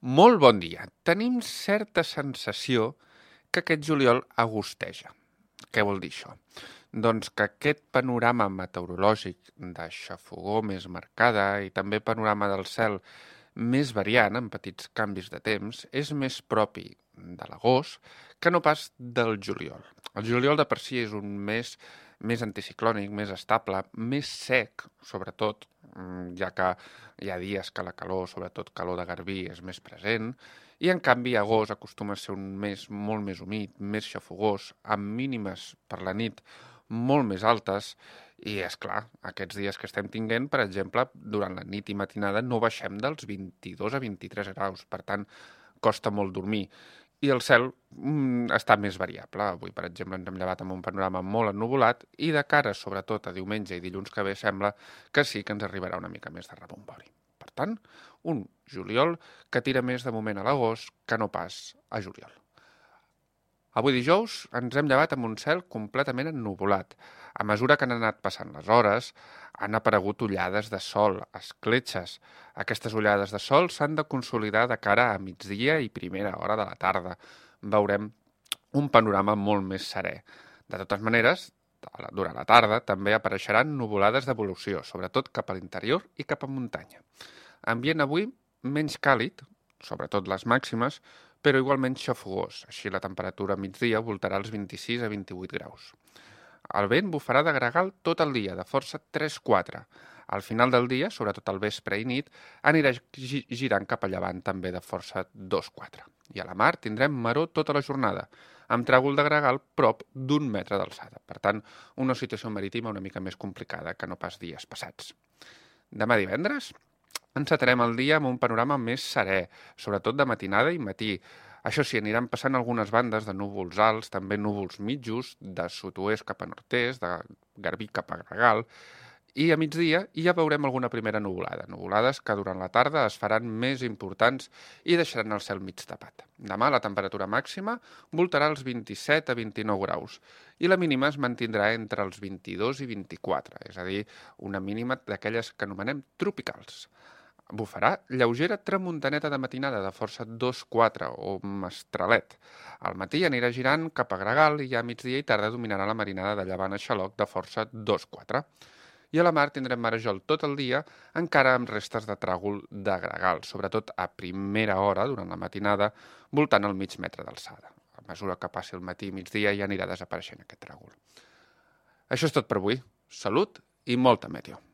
Molt bon dia. Tenim certa sensació que aquest juliol agosteja. Què vol dir això? Doncs que aquest panorama meteorològic de xafogor més marcada i també panorama del cel més variant, amb petits canvis de temps, és més propi de l'agost que no pas del juliol. El juliol de per si és un mes més anticiclònic, més estable, més sec, sobretot, ja que hi ha dies que la calor, sobretot calor de garbí, és més present, i en canvi agost acostuma a ser un mes molt més humit, més xafogós, amb mínimes per la nit molt més altes, i és clar, aquests dies que estem tinguent, per exemple, durant la nit i matinada no baixem dels 22 a 23 graus, per tant, costa molt dormir. I el cel està més variable. Avui, per exemple, ens hem llevat amb un panorama molt ennuvolat i de cara, sobretot, a diumenge i dilluns que ve, sembla que sí que ens arribarà una mica més de rebombori. Per tant, un juliol que tira més de moment a l'agost que no pas a juliol. Avui dijous ens hem llevat amb un cel completament ennuvolat. A mesura que han anat passant les hores, han aparegut ullades de sol, escletxes. Aquestes ullades de sol s'han de consolidar de cara a migdia i primera hora de la tarda. Veurem un panorama molt més serè. De totes maneres, durant la tarda també apareixeran nuvolades d'evolució, sobretot cap a l'interior i cap a muntanya. Ambient avui menys càlid, sobretot les màximes, però igualment xafogós, així la temperatura a migdia voltarà els 26 a 28 graus. El vent bufarà de gregal tot el dia, de força 3-4. Al final del dia, sobretot al vespre i nit, anirà girant cap a llevant també de força 2-4. I a la mar tindrem maror tota la jornada, amb tràgol de gregal prop d'1 metre d'alçada. Per tant, una situació marítima una mica més complicada que no pas dies passats. Demà divendres encetarem el dia amb un panorama més serè, sobretot de matinada i matí. Això sí, aniran passant algunes bandes de núvols alts, també núvols mitjos, de sud-oest cap a nord-est, de garbí cap a gregal, i a migdia ja veurem alguna primera nuvolada. Nuvolades que durant la tarda es faran més importants i deixaran el cel mig tapat. Demà la temperatura màxima voltarà els 27 a 29 graus i la mínima es mantindrà entre els 22 i 24, és a dir, una mínima d'aquelles que anomenem tropicals. Bufarà lleugera tramuntaneta de matinada de força 2-4 o mestralet. Al matí anirà girant cap a gregal i ja a migdia i tarda dominarà la marinada de llevant a xaloc de força 2-4. I a la mar tindrem marejol tot el dia, encara amb restes de tràgol de gregal, sobretot a primera hora, durant la matinada, voltant el mig metre d'alçada. A mesura que passi el matí i migdia ja anirà desapareixent aquest tràgol. Això és tot per avui. Salut i molta meteo.